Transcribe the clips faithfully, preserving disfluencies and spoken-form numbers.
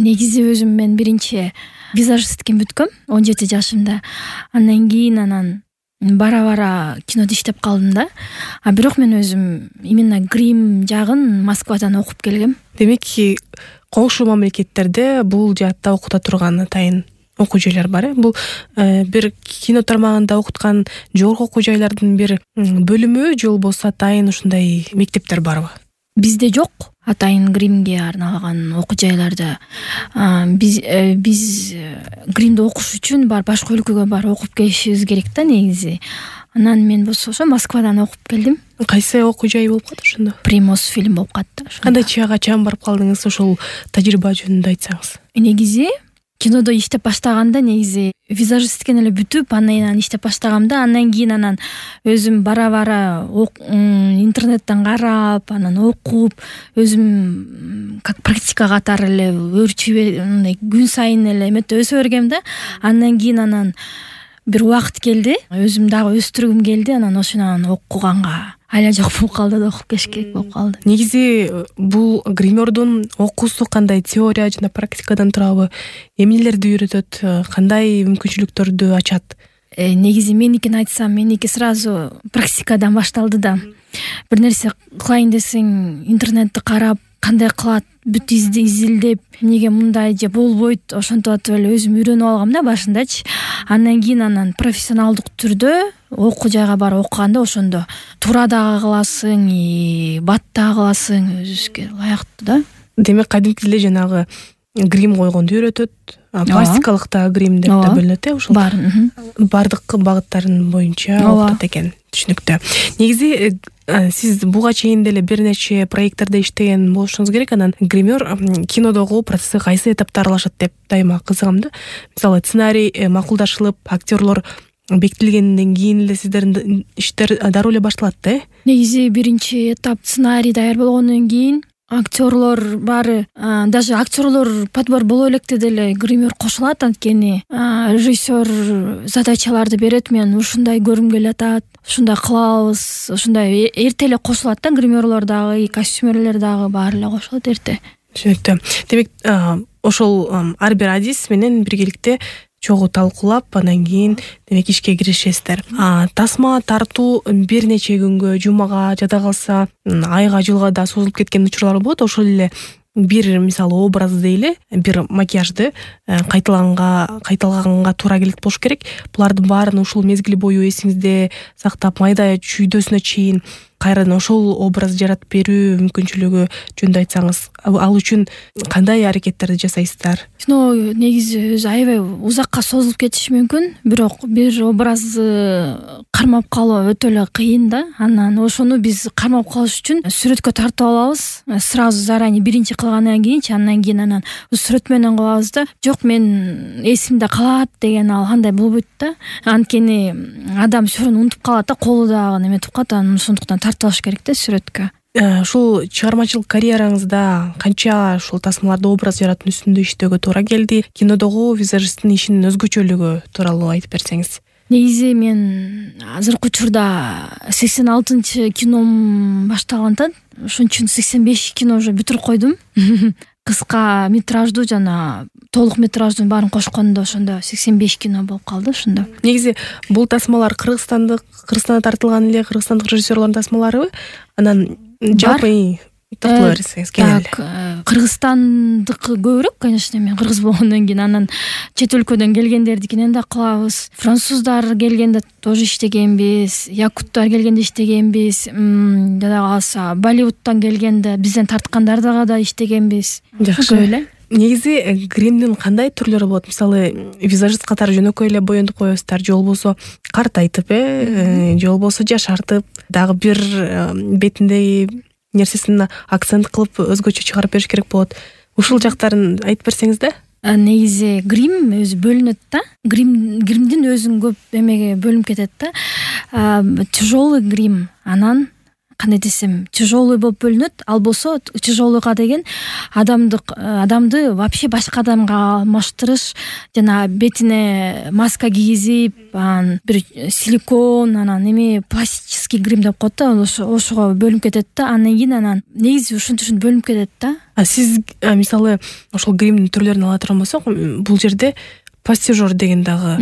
негизи өзүм мен биринчи визажистке бүткөм он жети жашымда. Андан кийин анан бара бара кинодо иштеп калдым да. А бирок мен өзүм именно грим жагын Москвадан окуп келгем. Демек коңшу мамлекеттерде бул жаатта окута турган атайын окуу жайлар бар э. Бул бир кино тармагында окуткан жогорку окуу жайлардын бир бөлүмү же болбосо атайын ушундай мектептер барбы? Бизде жок атайын гримге арналган окуу жайларда. Биз биз гримди окуш үчүн бар башка өлкөгө барып окуп келишибиз керек да негизи. Анан мен болсо ошо Москвадан окуп келдим. Кайсы окуу жай болуп калды ошондо? Примус фильм болуп калды. Кандай качан барып калдыңыз? Ошол тажрыйба жөнүндө айтсаңыз. Негизи кинодо иштеп баштаганда негизи визажисткени эле бүтүп, анан иштеп баштагам да. Андан кийин анан өзүм бара бара интернеттен карап, анан окуп, өзүм как практика катары эле өөрчүп, мындай күн сайын эле эметип өсө бергем да. Андан кийин анан бир убакыт келди, өзүм дагы өстүргүм келди, анан ошондон окуганга айла жок болуп калды да, окуп келиш керек болуп калды. Негизи бул гримердун окуусу кандай, теория жана практикадан турабы? Эмнелерди үйрөтөт, кандай мүмкүнчүлүктөрдү ачат? Э, негизи меникин айтсам, меники сразу практикадан башталды да. Бир нерсе кылайын десең, интернетти карап, кандай кылат, бүт изилдеп, эмнеге мындай же болбойт, ошентип атып эле өзүм үйрөнүп алгам да башындачы. Андан кийин анан профессионалдык түрдө окуу жайга барып окуганда ошондо туура дагы кыласың, и бат дагы кыласың, өзүбүзгө ылайыктуу да. Демек кадимки эле жанагы грим койгонду үйрөтөт, пластикалык да грим деп да бөлүнөт э, ушул бар. Бардык багыттарын боюнча окутат экен. Түшүнүктүү. Негизи сиз буга чейин деле бир нече проекттерде иштеген болушуңуз керек. Анан гример кинодогу процесси кайсы этапта аралашат деп дайыма кызыгам да. Мисалы сценарий макулдашылып, актерлор бекитилгенден кийин эле сиздердин иштер дароо эле башталат да э? Негизи биринчи этап сценарий даяр болгондон кийин актерлор баары, даже актерлор подбор боло электе деле гример кошулат, анткени режиссер задачаларды берет, мен ушундай көргүм келатат, ушундай кылабыз, ушундай эрте эле кошулат да, гримерлор дагы, костюмерлер дагы баары эле кошулат эрте. Түшүнүктүү. Демек ошол ар бир адис менен биргеликте чогуу талкуулап, андан кийин демек ишке киришесиздер. Тасма тартуу бир нече күнгө, жумага, жада калса айга, жылга да созулуп кеткен учурлар болот. Ошол эле бир мисалы образ дейли, бир макияжды кайталаганга кайталганга туура келет болуш керек. Булардын баарын ушул мезгил бою эсиңизде сактап, майда чүйдөсүнө чейин кайрадан ошол образ жаратып берүү мүмкүнчүлүгү жөнүндө айтсаңыз, ал үчүн кандай аракеттерди жасайсыздар? Кино негизи өзү аябай узакка созулуп кетиши мүмкүн, бирок бир образды кармап калуу өтө эле кыйын да. Анан ошону биз кармап калыш үчүн сүрөткө тартып алабыз. Сразу заранее биринчи кылгандан кийинчи, андан кийин анан сүрөт менен кылабыз да. Жок, мен эсимде калат деген ал андай болбойт да. Анткени адам сүрөтүн унутуп калат да, колу дагы неметип калат, анан ошондуктан тартып алыш керек да сүрөткө. Ушул чыгармачылык карьераңызда канча ушул тасмаларды образ жаратуу үстүндө иштөөгө туура келди? Кинодогу визажисттин ишинин өзгөчөлүгү тууралуу айтып берсеңиз. Негизи мен азыркы учурда сексен алтынчы кином башталган, ошон үчүн сексен беш кино уже бүтүрүп койдум. Кыска метраждуу жана толук метраждын баарын кошкондо ошондо сексен беш кино болуп калды ошондо. Негизи бул тасмалар кыргызстандык, Кыргызстанда тартылган эле кыргызстандык режиссерлордун тасмаларыбы? Анан жалпы тартыла берсеңиз келели. Кыргызстандыкы көбүрөөк, конечно, мен кыргыз болгондон кийин. Анан чет өлкөдөн келгендердикинен да кылабыз. Француздар келгенде тоже иштегенбиз, якуттар келгенде иштегенбиз, жада калса Болливудтан келгенде бизден тарткандардыга да иштегенбиз. Жакшы эле. Негизи гримдин кандай түрлөрү болот? Мисалы, визажист катары жөнөкөй эле боендуп коесуздар, же болбосо картайтып, э, же болбосо жашартып, дагы бир бетиндеги нерсесин акцент кылып өзгөчө чыгарып бериш керек болот. Ушул жактарын айтып берсеңиз да. Негизи грим өзү бөлүнөт да. Грим гримдин өзүн көп эмеге бөлүнүп кетет да. Тяжелый грим, анан кандай десем тяжелый болуп бөлүнөт. Ал болсо тяжелыйга деген адамдык адамды вообще башка адамга алмаштырыш, жана бетине маска кийгизип, анан бир силикон, анан эме пластический грим деп коет да, ошого бөлүнүп кетет да. Андан кийин анан негизи ушинтип ушинтип бөлүнүп кетет да. А сиз мисалы ошол гримдин түрлөрүн ала турган болсок, бул жерде пастижер деген дагы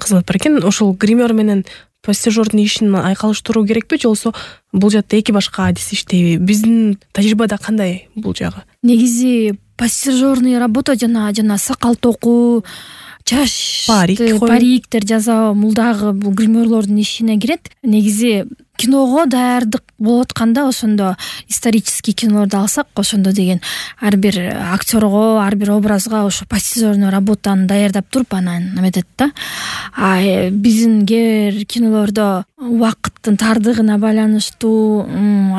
кызмат бар экен. Ошол гример менен пастижердин ишин айкалыштыруу керекпи, же болбосо бул жакта эки башка адис иштейби? Биздин тажрыйбада кандай бул жагы? Негизи пастижерный работа жана жана сакал токуу, чач, париктер жасоо, бул дагы бул гримерлордун ишине кирет. Негизи киного даярдык болуп атканда, ошондо исторический кинолорду алсак, ошондо деген ар бир актерго, ар бир образга ошо пастижерный работаны даярдап туруп анан эметет да. А биздин кээ бир кинолордо убакыттын тардыгына байланыштуу,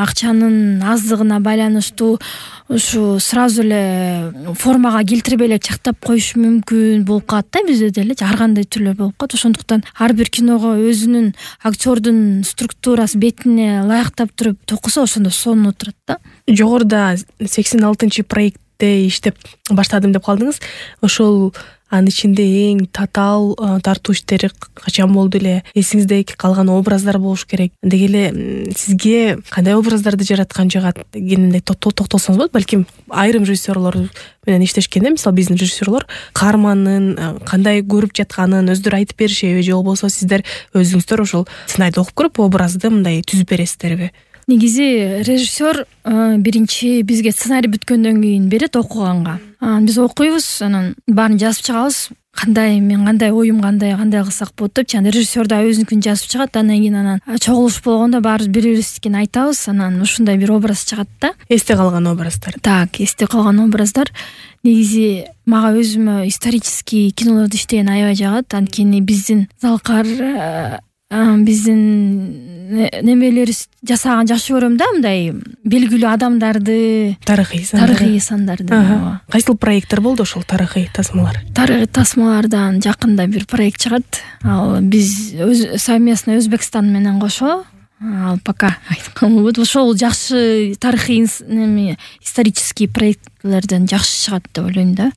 акчанын аздыгына байланыштуу ушу сразу эле формага келтирбей эле чактап коюш мүмкүн болуп калат да, бизде деле ар кандай түрлөр болуп калат. Ошондуктан ар бир киного өзүнүн актердун структурасы бетине ылайыктап туруп токусо ошондо сонуп турат да. Жогоруда сексен алтынчы проектте иштеп баштадым деп калдыңыз. Ошол анын ичинде эң татаал тартуу иштери качан болду эле? Эсиңизде калган образдар болуш керек. Деги эле сизге кандай образдарды жараткан жагат экенине токтолсоңуз болот. Балким айрым режиссерлор менен иштешкенде, мисалы биздин режиссерлор каармандын кандай көрүп жатканын өздөрү айтып беришеби, же болбосо сиздер өзүңүздөр ошол сценарийди окуп көрүп образды мындай түзүп бересиздерби? Негизи режиссер биринчи бизге сценарий бүткөндөн кийин берет окуганга. Биз окуйбуз, анан баарын жазып чыгабыз. Кандай мен кандай оюм кандай кандай кылсак болот деп, чан режиссер да өзүнүкүн жазып чыгат. Андан кийин анан чогулуш болгондо баарыбыз бири-бирибиздикин айтабыз. Анан ушундай бир образ чыгат да. Эсте калган образдар. Так, эсте калган образдар. Негизи мага өзүмө исторический кинолорду иштеген аябай жагат. Анткени биздин залкар, биздин немелерибиз жасаган жакшы көрөм да, мындай белгилүү адамдарды, тарыхый тарыхый сандарды. Кайсыл проекттер болду ошол тарыхый тасмалар? Тарыхый тасмалардан жакында бир проект чыгат. Ал биз совместно Өзбекстан менен кошо, ал пока айткан болбойт. Ошол жакшы тарыхый неме исторический проектлерден жакшы чыгат деп ойлойм да.